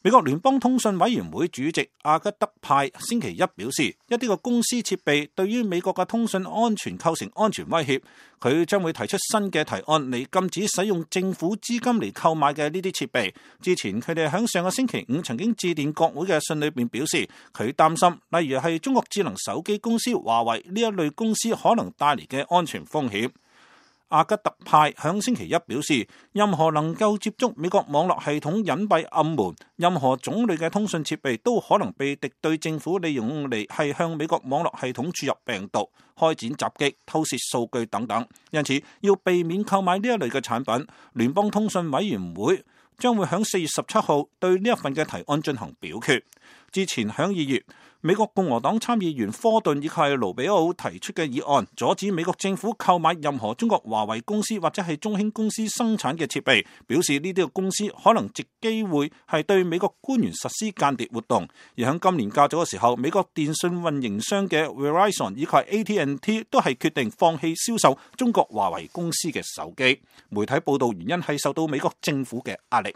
美國聯邦通訊委員會主席阿吉德派星期一表示，一啲個公司設備對於美國嘅通訊安全構成安全威脅，佢將會提出新嘅提案嚟禁止使用政府資金嚟購買嘅呢啲設備。之前佢哋喺上個星期五曾經致電國會嘅信裏邊表示，佢擔心例如係中國智能手機公司華為呢一類公司可能帶嚟嘅安全風險。阿吉特派響星期一表示，任何能夠接觸美國網絡系統隱蔽暗門，任何種類嘅通訊設備都可能被敵對政府利用嚟係向美國網絡系統注入病毒、開展襲擊、偷竊數據等等。因此，要避免購買呢一類嘅產品，聯邦通訊委員會將會喺4月17號對呢一份嘅提案進行表決。之前喺2月，美國共和黨參議員科頓以及盧比奧提出嘅議案，阻止美國政府購買任何中國華為公司或者係中興公司生產嘅設備，表示呢啲嘅公司可能藉機會係對美國官員實施間諜活動。而喺今年較早嘅時候，美國電信運營商嘅 Verizon 以及 AT&T 都係決定放棄銷售中國華為公司嘅手機。媒體報道原因係受到美國政府嘅壓力。